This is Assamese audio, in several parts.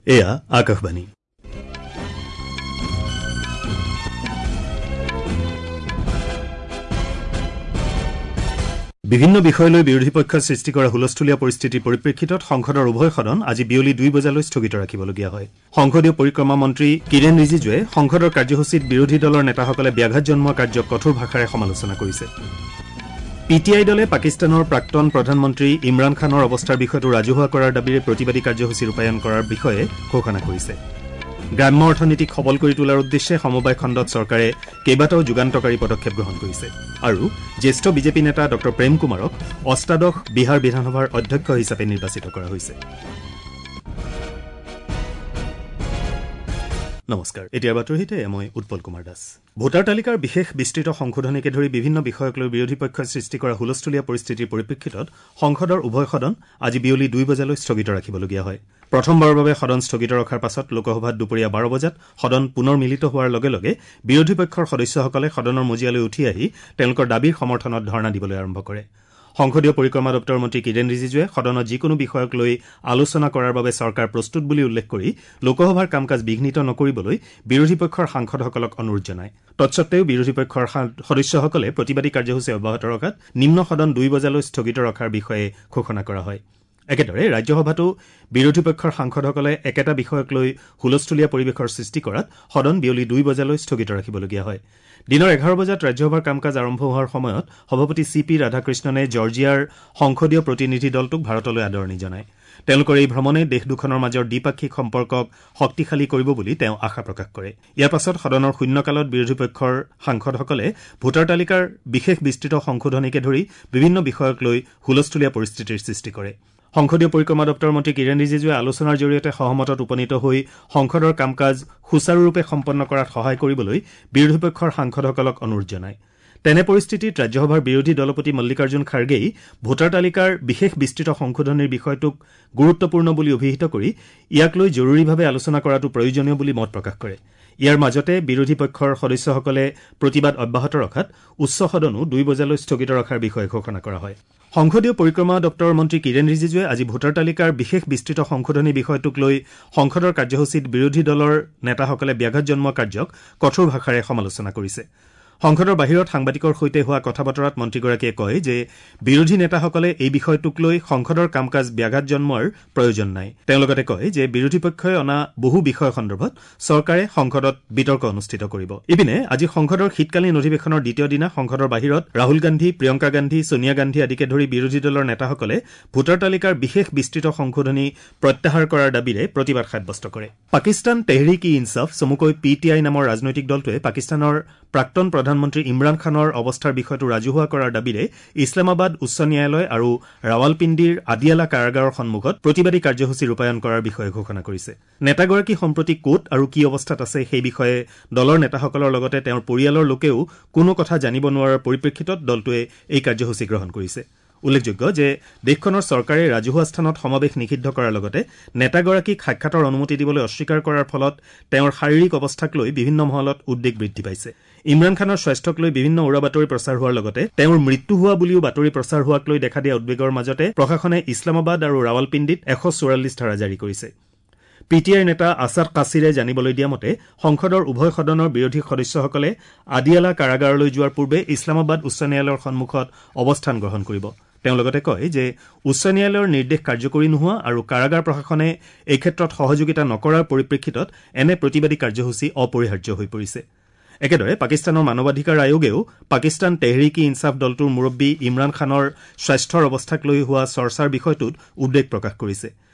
এয়া আকাশবাণী। বিভিন্ন বিষয় লৈ বিৰোধী পক্ষই সৃষ্টি কৰা হুলস্থুলীয়া পৰিস্থিতিৰ পৰিপ্ৰেক্ষিতত সংসদৰ উভয় সদন আজি বিয়লি 2 বজালৈ স্থগিত ৰাখিবলগীয়া হয়। সংসদীয় পৰিক্ৰমা মন্ত্ৰী কিৰেণ ৰিজিজুৱে সংসদৰ কাৰ্যসূচীত বিৰোধী দলৰ নেতাসকলে ব্যাঘাত জন্মোৱা কাৰ্যক কঠোৰ ভাষাৰে সমালোচনা কৰিছে। পি টি I দলে পাকিস্তানৰ প্ৰাক্তন প্ৰধানমন্ত্ৰী ইমৰান খানৰ অৱস্থাৰ বিষয়টো ৰাজহুৱা কৰাৰ দাবীৰে প্ৰতিবাদী কাৰ্যসূচী ৰূপায়ণ কৰাৰ বিষয়ে ঘোষণা কৰিছে। গ্ৰাম্য অৰ্থনীতিক সবল কৰি তোলাৰ উদ্দেশ্যে সমবায় খণ্ডত চৰকাৰে কেইবাটাও যুগান্তকাৰী পদক্ষেপ গ্ৰহণ কৰিছে। আৰু জ্যেষ্ঠ বিজেপি নেতা ডঃ প্ৰেম কুমাৰক অষ্টাদশ বিহাৰ বিধানসভাৰ অধ্যক্ষ হিচাপে নিৰ্বাচিত কৰা হৈছে। নমস্কাৰ, এতিয়াৰ বাতৰিতে মই উৎপল কুমাৰ দাস। ভোটাৰ তালিকাৰ বিশেষ বিস্তৃত সংশোধনীকে ধৰি বিভিন্ন বিষয়ক লৈ বিৰোধী পক্ষই সৃষ্টি কৰা হুলস্থুলীয়া পৰিস্থিতিৰ পৰিপ্ৰেক্ষিতত সংসদৰ উভয় সদন আজি বিয়লি 2 বজালৈ স্থগিত ৰাখিবলগীয়া হয়। প্ৰথমবাৰৰ বাবে সদন স্থগিত ৰখাৰ পাছত লোকসভাত দুপৰীয়া 12 বজাত সদন পুনৰ মিলিত হোৱাৰ লগে লগে বিৰোধী পক্ষৰ সদস্যসকলে সদনৰ মজিয়ালৈ উঠি আহি তেওঁলোকৰ দাবীৰ সমৰ্থনত ধৰ্ণা দিবলৈ আৰম্ভ কৰে। সংসদীয় পৰিক্ৰমা দপ্তৰৰ মন্ত্ৰী কিৰেণ ৰিজিজুৱে সদনত যিকোনো বিষয়ক লৈ আলোচনা কৰাৰ বাবে চৰকাৰ প্ৰস্তুত বুলি উল্লেখ কৰি লোকসভাৰ কাম কাজ বিঘ্নিত নকৰিবলৈ বিৰোধী পক্ষৰ সাংসদসকলক অনুৰোধ জনায়। তৎসত্বেও বিৰোধী পক্ষৰ সদস্যসকলে প্ৰতিবাদী কাৰ্যসূচী অব্যাহত ৰখাত নিম্ন সদন 2 বজালৈ স্থগিত ৰখাৰ বিষয়ে ঘোষণা কৰা হয়। একেদৰে ৰাজ্যসভাতো বিৰোধী পক্ষৰ সাংসদসকলে একেটা বিষয়ক লৈ হুলস্থুলীয়া পৰিৱেশৰ সৃষ্টি কৰাত সদন বিয়লি 2 বজালৈ স্থগিত ৰাখিবলগীয়া হয়। দিনৰ 11 বজাত ৰাজ্যসভাৰ কাম কাজ আৰম্ভ হোৱাৰ সময়ত সভাপতি চি পি ৰাধাকৃষ্ণনে জৰ্জিয়াৰ সংসদীয় প্ৰতিনিধি দলটোক ভাৰতলৈ আদৰণি জনায়। তেওঁলোকৰ এই ভ্ৰমণে দেশ দুখনৰ মাজৰ দ্বিপাক্ষিক সম্পৰ্কক শক্তিশালী কৰিব বুলি তেওঁ আশা প্ৰকাশ কৰে। ইয়াৰ পাছত সদনৰ শূন্যকালত বিৰোধী পক্ষৰ সাংসদসকলে ভোটাৰ তালিকাৰ বিশেষ বিস্তৃত সংশোধনীকে ধৰি বিভিন্ন বিষয়ক লৈ হুলস্থুলীয়া পৰিস্থিতিৰ সৃষ্টি কৰে। সংসদীয় পৰিক্ৰমা দপ্তৰৰ মন্ত্ৰী কিৰেণ ৰিজিজুৱে আলোচনাৰ জৰিয়তে সহমতত উপনীত হৈ সংসদৰ কাম কাজ সুচাৰুৰূপে সম্পন্ন কৰাত সহায় কৰিবলৈ বিৰোধী পক্ষৰ সাংসদসকলক অনুৰোধ জনায়। তেনে পৰিস্থিতিত ৰাজ্যসভাৰ বিৰোধী দলপতি মল্লিকাৰ্জুন খাৰ্গেই ভোটাৰ তালিকাৰ বিশেষ বিস্তৃত সংশোধনীৰ বিষয়টোক গুৰুত্বপূৰ্ণ বুলি অভিহিত কৰি ইয়াক লৈ জৰুৰীভাৱে আলোচনা কৰাটো প্ৰয়োজনীয় বুলি মত প্ৰকাশ কৰে। ইয়াৰ মাজতে বিৰোধী পক্ষৰ সদস্যসকলে প্ৰতিবাদ অব্যাহত ৰখাত উচ্চ সদনো 2 বজালৈ স্থগিত ৰখাৰ বিষয়ে ঘোষণা কৰা হয়। সংসদীয় পৰিক্ৰমা দপ্তৰৰ মন্ত্ৰী কিৰেণ ৰিজিজুৱে আজি ভোটাৰ তালিকাৰ বিশেষ বিস্তৃত সংশোধনী বিষয়টোক লৈ সংসদৰ কাৰ্যসূচীত বিৰোধী দলৰ নেতাসকলে ব্যাঘাত জন্মোৱা কাৰ্যক কঠোৰ ভাষাৰে সমালোচনা কৰিছে। সংসদৰ বাহিৰত সাংবাদিকৰ সৈতে হোৱা কথা বতৰাত মন্ত্ৰীগৰাকীয়ে কয় যে বিৰোধী নেতাসকলে এই বিষয়টোক লৈ সংসদৰ কাম কাজ ব্যাঘাত জন্মোৱাৰ প্ৰয়োজন নাই। তেওঁ লগতে কয় যে বিৰোধী পক্ষই অনা বহু বিষয় সন্দৰ্ভত চৰকাৰে সংসদত বিতৰ্ক অনুষ্ঠিত কৰিব। ইপিনে আজি সংসদৰ শীতকালীন অধিৱেশনৰ দ্বিতীয় দিনা সংসদৰ বাহিৰত ৰাহুল গান্ধী, প্ৰিয়ংকা গান্ধী, ছোনিয়া গান্ধী আদিকে ধৰি বিৰোধী দলৰ নেতাসকলে ভোটাৰ তালিকাৰ বিশেষ বিস্তৃত সংশোধনী প্ৰত্যাহাৰ কৰাৰ দাবীৰে প্ৰতিবাদ সাব্যস্ত কৰে। পাকিস্তান তেহৰিক ই ইনছাফ চমুকৈ পি টি I নামৰ ৰাজনৈতিক দলটোৱে পাকিস্তানৰ প্ৰাক্তন প্ৰধানমন্ত্ৰী ইমৰান খানৰ অৱস্থাৰ বিষয়টো ৰাজহুৱা কৰাৰ দাবীৰে ইছলামাবাদ উচ্চ ন্যায়ালয় আৰু ৰাৱালপিণ্ডিৰ আদিয়ালা কাৰাগাৰৰ সন্মুখত প্ৰতিবাদী কাৰ্যসূচী ৰূপায়ণ কৰাৰ বিষয়ে ঘোষণা কৰিছে। নেতাগৰাকী সম্প্ৰতি ক'ত আৰু কি অৱস্থাত আছে সেই বিষয়ে দলৰ নেতাসকলৰ লগতে তেওঁৰ পৰিয়ালৰ লোকেও কোনো কথা জানিব নোৱাৰাৰ পৰিপ্ৰেক্ষিতত দলটোৱে এই কাৰ্যসূচী গ্ৰহণ কৰিছে। উল্লেখযোগ্য যে দেশখনৰ চৰকাৰে ৰাজহুৱা স্থানত সমাৱেশ নিষিদ্ধ কৰাৰ লগতে নেতাগৰাকীক সাক্ষাতৰ অনুমতি দিবলৈ অস্বীকাৰ কৰাৰ ফলত তেওঁৰ শাৰীৰিক অৱস্থাক লৈ বিভিন্ন মহলত উদ্বেগ বৃদ্ধি পাইছে। ইমৰান খানৰ স্বাস্থ্যক লৈ বিভিন্ন উৰা বাতৰি প্ৰচাৰ হোৱাৰ লগতে তেওঁৰ মৃত্যু হোৱা বুলিও বাতৰি প্ৰচাৰ হোৱাক লৈ দেখা দিয়া উদ্বেগৰ মাজতে প্ৰশাসনে ইছলামাবাদ আৰু ৰাৱালপিণ্ডিত 144 ধাৰা জাৰি কৰিছে। পি টি আইৰ নেতা আছাদ কাছিৰে জানিবলৈ দিয়া মতে সংসদৰ উভয় সদনৰ বিৰোধী সদস্যসকলে আদিয়ালা কাৰাগাৰলৈ যোৱাৰ পূৰ্বে ইছলামাবাদ উচ্চ ন্যায়ালয়ৰ সন্মুখত অৱস্থান গ্ৰহণ কৰিব। তেওঁ লগতে কয় যে উচ্চ ন্যায়ালয়ৰ নিৰ্দেশ কাৰ্যকৰী নোহোৱা আৰু কাৰাগাৰ প্ৰশাসনে এই ক্ষেত্ৰত সহযোগিতা নকৰাৰ পৰিপ্ৰেক্ষিতত এনে প্ৰতিবাদী কাৰ্যসূচী অপৰিহাৰ্য হৈ পৰিছে। একেদৰে পাকিস্তানৰ মানৱাধিকাৰ আয়োগেও পাকিস্তান তেহৰিক ই ইনছাফ দলটোৰ মুৰব্বী ইমৰান খানৰ স্বাস্থ্যৰ অৱস্থাক লৈ হোৱা চৰ্চাৰ বিষয়টোত উদ্বেগ প্ৰকাশ কৰিছে।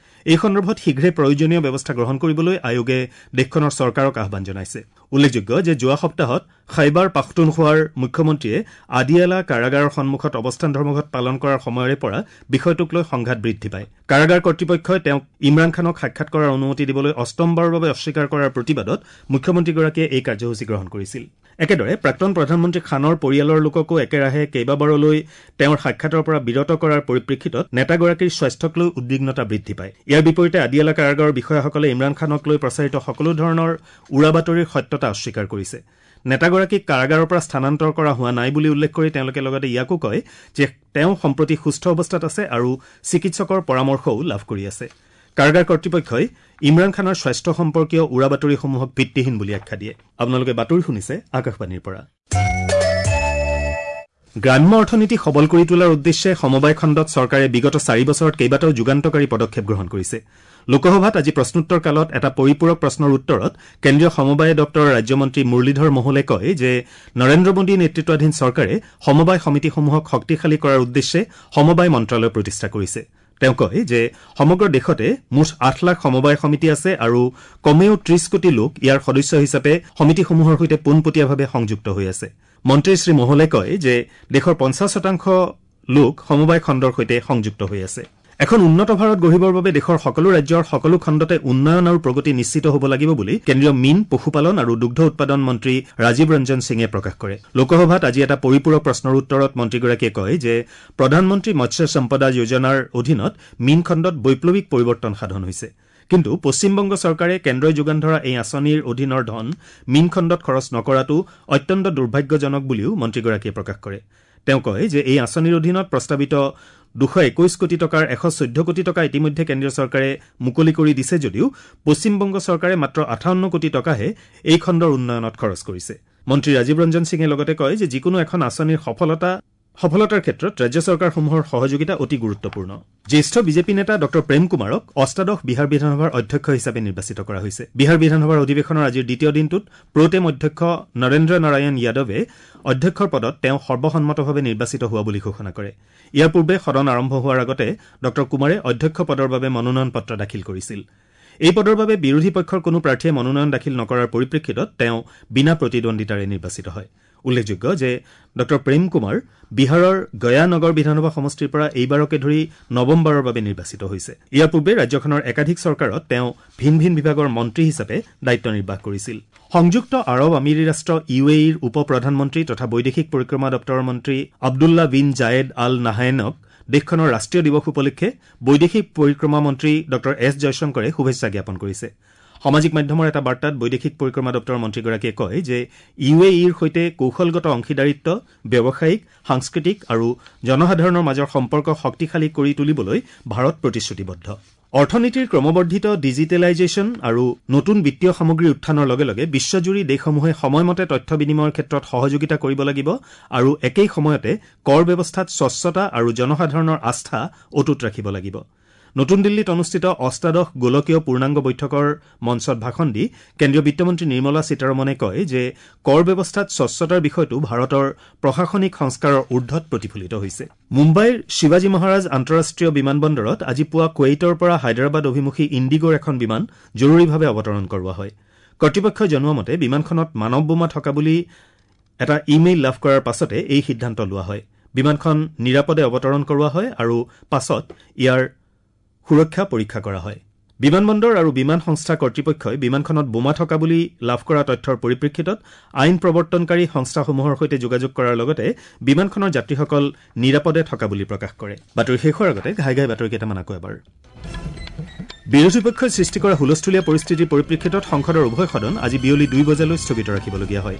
এই সন্দৰ্ভত শীঘ্ৰে প্ৰয়োজনীয় ব্যৱস্থা গ্ৰহণ কৰিবলৈ আয়োগে দেশখনৰ চৰকাৰক আহ্বান জনাইছে। উল্লেখযোগ্য যে যোৱা সপ্তাহত খাইবাৰ পাখতুনখোৱাৰ মুখ্যমন্ত্ৰীয়ে আদিয়ালা কাৰাগাৰৰ সন্মুখত অৱস্থান ধৰ্মঘট পালন কৰাৰ সময়ৰে পৰা বিষয়টোক লৈ সংঘাত বৃদ্ধি পায়। কাৰাগাৰ কৰ্তৃপক্ষই তেওঁক ইমৰান খানক সাক্ষাৎ কৰাৰ অনুমতি দিবলৈ অষ্টমবাৰৰ বাবে অস্বীকাৰ কৰাৰ প্ৰতিবাদত মুখ্যমন্ত্ৰীগৰাকীয়ে এই কাৰ্যসূচী গ্ৰহণ কৰিছিল। একেদৰে প্ৰাক্তন প্ৰধানমন্ত্ৰী খানৰ পৰিয়ালৰ লোককো একেৰাহে কেইবাবাৰলৈ তেওঁৰ সাক্ষাতৰ পৰা বিৰত কৰাৰ পৰিপ্ৰেক্ষিতত নেতাগৰাকীৰ স্বাস্থ্যক লৈ উদ্বিগ্নতা বৃদ্ধি পায়। ইয়াৰ বিপৰীতে আদিয়ালা কাৰাগাৰৰ বিষয়াসকলে ইমৰান খানক লৈ প্ৰচাৰিত সকলো ধৰণৰ উৰা বাতৰিৰ সত্যতা অস্বীকাৰ কৰিছে। নেতাগৰাকীক কাৰাগাৰৰ পৰা স্থানান্তৰ কৰা হোৱা নাই বুলি উল্লেখ কৰি তেওঁলোকে লগতে ইয়াকো কয় যে তেওঁ সম্প্ৰতি সুস্থ অৱস্থাত আছে আৰু চিকিৎসকৰ পৰামৰ্শও লাভ কৰি আছে। কাৰাগাৰ কৰ্তৃপক্ষই ইমৰান খানৰ স্বাস্থ্য সম্পৰ্কীয় উৰা বাতৰিসমূহক ভিত্তিহীন বুলি আখ্যা দিয়ে। আপোনালোকে বাতৰি শুনিছে আকাশবাণীৰ পৰা। গ্ৰাম্য অৰ্থনীতি সবল কৰি তোলাৰ উদ্দেশ্যে সমবায় খণ্ডত চৰকাৰে বিগত 4 বছৰত কেইবাটাও যুগান্তকাৰী পদক্ষেপ গ্ৰহণ কৰিছে। লোকসভাত আজি প্ৰশ্নোত্তৰ কালত এটা পৰিপূৰক প্ৰশ্নৰ উত্তৰত কেন্দ্ৰীয় সমবায় দপ্তৰৰ ৰাজ্যমন্ত্ৰী মুৰলীধৰ মোহলে কয় যে নৰেন্দ্ৰ মোদী নেতৃত্বাধীন চৰকাৰে সমবায় সমিতিসমূহক শক্তিশালী কৰাৰ উদ্দেশ্যে সমবায় মন্ত্ৰালয় প্ৰতিষ্ঠা কৰিছে। তেওঁ কয় যে সমগ্ৰ দেশতে মুঠ 8 লাখ সমবায় সমিতি আছে আৰু কমেও 30 কোটি লোক ইয়াৰ সদস্য হিচাপে সমিতিসমূহৰ সৈতে পোনপটীয়াভাৱে সংযুক্ত হৈ আছে। মন্ত্ৰী শ্ৰী মোহলে কয় যে দেশৰ 50% লোক সমবায় খণ্ডৰ সৈতে সংযুক্ত হৈ আছে। এখন উন্নত ভাৰত গঢ়িবৰ বাবে দেশৰ সকলো ৰাজ্যৰ সকলো খণ্ডতে উন্নয়ন আৰু প্ৰগতি নিশ্চিত হ'ব লাগিব বুলি কেন্দ্ৰীয় মীন, পশুপালন আৰু দুগ্ধ উৎপাদন মন্ত্ৰী ৰাজীৱ ৰঞ্জন সিঙে প্ৰকাশ কৰে। লোকসভাত আজি এটা পৰিপূৰক প্ৰশ্নৰ উত্তৰত মন্ত্ৰীগৰাকীয়ে কয় যে প্ৰধানমন্ত্ৰী মৎস্য সম্পদা যোজনাৰ অধীনত মীন খণ্ডত বৈপ্লৱিক পৰিৱৰ্তন সাধন হৈছে। কিন্তু পশ্চিমবংগ চৰকাৰে কেন্দ্ৰই যোগান ধৰা এই আঁচনিৰ অধীনৰ ধন মীন খণ্ডত খৰচ নকৰাটো অত্যন্ত দুৰ্ভাগ্যজনক বুলিও মন্ত্ৰীগৰাকীয়ে প্ৰকাশ কৰে। তেওঁ কয় যে এই আঁচনিৰ অধীনত প্ৰস্তাৱিত 221 কোটি টকাৰ 114 কোটি টকা ইতিমধ্যে কেন্দ্ৰীয় চৰকাৰে মুকলি কৰি দিছে যদিও পশ্চিমবংগ চৰকাৰে মাত্ৰ 58 কোটি টকাহে এই খণ্ডৰ উন্নয়নত খৰচ কৰিছে। মন্ত্ৰী ৰাজীৱ ৰঞ্জন সিঙে লগতে কয় যে যিকোনো এখন আঁচনিৰ সফলতাৰ ক্ষেত্ৰত ৰাজ্য চৰকাৰসমূহৰ সহযোগিতা অতি গুৰুত্বপূৰ্ণ। জ্যেষ্ঠ বিজেপি নেতা ডঃ প্ৰেম কুমাৰক অষ্টাদশ বিহাৰ বিধানসভাৰ অধ্যক্ষ হিচাপে নিৰ্বাচিত কৰা হৈছে। বিহাৰ বিধানসভাৰ অধিৱেশনৰ আজিৰ দ্বিতীয় দিনটোত প্ৰ'টেম অধ্যক্ষ নৰেন্দ্ৰ নাৰায়ণ যাদৱে অধ্যক্ষৰ পদত তেওঁ সৰ্বসন্মতভাৱে নিৰ্বাচিত হোৱা বুলি ঘোষণা কৰে। ইয়াৰ পূৰ্বে সদন আৰম্ভ হোৱাৰ আগতে ডঃ কুমাৰে অধ্যক্ষ পদৰ বাবে মনোনয়ন পত্ৰ দাখিল কৰিছিল। এই পদৰ বাবে বিৰোধী পক্ষৰ কোনো প্ৰাৰ্থীয়ে মনোনয়ন দাখিল নকৰাৰ পৰিপ্ৰেক্ষিতত তেওঁ বিনা প্ৰতিদ্বন্দ্বিতাৰে নিৰ্বাচিত হয়। উল্লেখযোগ্য যে ডঃ প্ৰেম কুমাৰ বিহাৰৰ গয়া নগৰ বিধানসভা সমষ্টিৰ পৰা এইবাৰকে ধৰি নৱমবাৰৰ বাবে নিৰ্বাচিত হৈছে। ইয়াৰ পূৰ্বে ৰাজ্যখনৰ একাধিক চৰকাৰত তেওঁ ভিন ভিন বিভাগৰ মন্ত্ৰী হিচাপে দায়িত্ব নিৰ্বাহ কৰিছিল। সংযুক্ত আৰৱ আমিৰী ৰাষ্ট্ৰ ইউ এ ইৰ উপ প্ৰধানমন্ত্ৰী তথা বৈদেশিক পৰিক্ৰমা দপ্তৰৰ মন্ত্ৰী আব্দুল্লা বিন জায়েদ আল নাহায়েনক দেশখনৰ ৰাষ্ট্ৰীয় দিৱস উপলক্ষে বৈদেশিক পৰিক্ৰমা মন্ত্ৰী ডঃ এছ জয়শংকৰে শুভেচ্ছা জ্ঞাপন কৰিছে। সামাজিক মাধ্যমৰ এটা বাৰ্তাত বৈদেশিক পৰিক্ৰমা দপ্তৰৰ মন্ত্ৰীগৰাকীয়ে কয় যে ইউ এ ইৰ সৈতে কৌশলগত অংশীদাৰিত্ব, ব্যৱসায়িক, সাংস্কৃতিক আৰু জনসাধাৰণৰ মাজৰ সম্পৰ্ক শক্তিশালী কৰি তুলিবলৈ ভাৰত প্ৰতিশ্ৰুতিবদ্ধ। অৰ্থনীতিৰ ক্ৰমবৰ্ধিত ডিজিটেলাইজেশ্যন আৰু নতুন বিত্তীয় সামগ্ৰীৰ উত্থানৰ লগে লগে বিশ্বজুৰি দেশসমূহে সময়মতে তথ্য বিনিময়ৰ ক্ষেত্ৰত সহযোগিতা কৰিব লাগিব আৰু একেই সময়তে কৰ ব্যৱস্থাত স্বচ্ছতা আৰু জনসাধাৰণৰ আস্থা অটুট ৰাখিব লাগিব। নতুন দিল্লীত অনুষ্ঠিত অষ্টাদশ গোলকীয় পূৰ্ণাংগ বৈঠকৰ মঞ্চত ভাষণ দি কেন্দ্ৰীয় বিত্তমন্ত্ৰী নিৰ্মলা সীতাৰমণে কয় যে কৰ ব্যৱস্থাত স্বচ্ছতাৰ বিষয়টো ভাৰতৰ প্ৰশাসনিক সংস্কাৰৰ ঊৰ্ধত প্ৰতিফলিত হৈছে। মুম্বাইৰ শিৱাজী মহাৰাজ আন্তঃৰাষ্ট্ৰীয় বিমানবন্দৰত আজি পুৱা কুৱেইটৰ পৰা হায়দৰাবাদ অভিমুখী ইণ্ডিগ'ৰ এখন বিমান জৰুৰীভাৱে অৱতৰণ কৰোৱা হয়। কৰ্তৃপক্ষই জনোৱা মতে বিমানখনত মানৱ বোমা থকা বুলি এটা ইমেইল লাভ কৰাৰ পাছতে এই সিদ্ধান্ত লোৱা হয়। বিমানখন নিৰাপদে অৱতৰণ কৰোৱা হয় আৰু পাছত ইয়াৰ সুৰক্ষা পৰীক্ষা কৰা হয়। বিমানবন্দৰ আৰু বিমান সংস্থা কৰ্তৃপক্ষই বিমানখনত বোমা থকা বুলি লাভ কৰা তথ্যৰ পৰিপ্ৰেক্ষিতত আইন প্ৰৱৰ্তনকাৰী সংস্থাসমূহৰ সৈতে যোগাযোগ কৰাৰ লগতে বিমানখনৰ যাত্ৰীসকল নিৰাপদে থকা বুলি প্ৰকাশ কৰে। বাতৰি শেষ হোৱাৰ আগতে ঘাই ঘাই বাতৰি কেইটামান আকৌ এবাৰ। বিৰোধী পক্ষই সৃষ্টি কৰা হুলস্থুলীয়া পৰিস্থিতিৰ পৰিপ্ৰেক্ষিতত সংসদৰ উভয় সদন আজি বিয়লি 2 বজালৈ স্থগিত ৰাখিবলগীয়া হয়।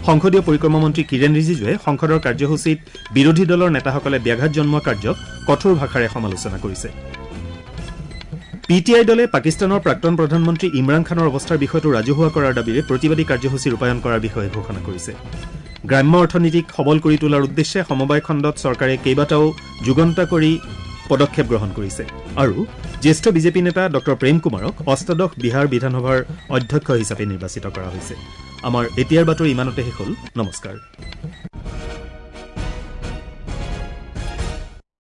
সংসদীয় পৰিক্ৰমা মন্ত্ৰী কিৰেণ ৰিজিজুৱে সংসদৰ কাৰ্যসূচীত বিৰোধী দলৰ নেতাসকলে ব্যাঘাত জন্মোৱা কাৰ্যক কঠোৰ ভাষাৰে সমালোচনা কৰিছে। পি টি I দলে পাকিস্তানৰ প্ৰাক্তন প্ৰধানমন্ত্ৰী ইমৰান খানৰ অৱস্থাৰ বিষয়টো ৰাজহুৱা কৰাৰ দাবীৰে প্ৰতিবাদী কাৰ্যসূচী ৰূপায়ণ কৰাৰ বিষয়ে ঘোষণা কৰিছে। গ্ৰাম্য অৰ্থনীতিক সবল কৰি তোলাৰ উদ্দেশ্যে সমবায় খণ্ডত চৰকাৰে কেইবাটাও যুগান্তকাৰী পদক্ষেপ গ্ৰহণ কৰিছে। আৰু জ্যেষ্ঠ বিজেপি নেতা ডঃ প্ৰেম কুমাৰক অষ্টাদশ বিহাৰ বিধানসভাৰ অধ্যক্ষ হিচাপে নিৰ্বাচিত কৰা হৈছে। আমাৰ এতিয়াৰ বাতৰি ইমানতে শেষ হ'ল। নমস্কাৰ।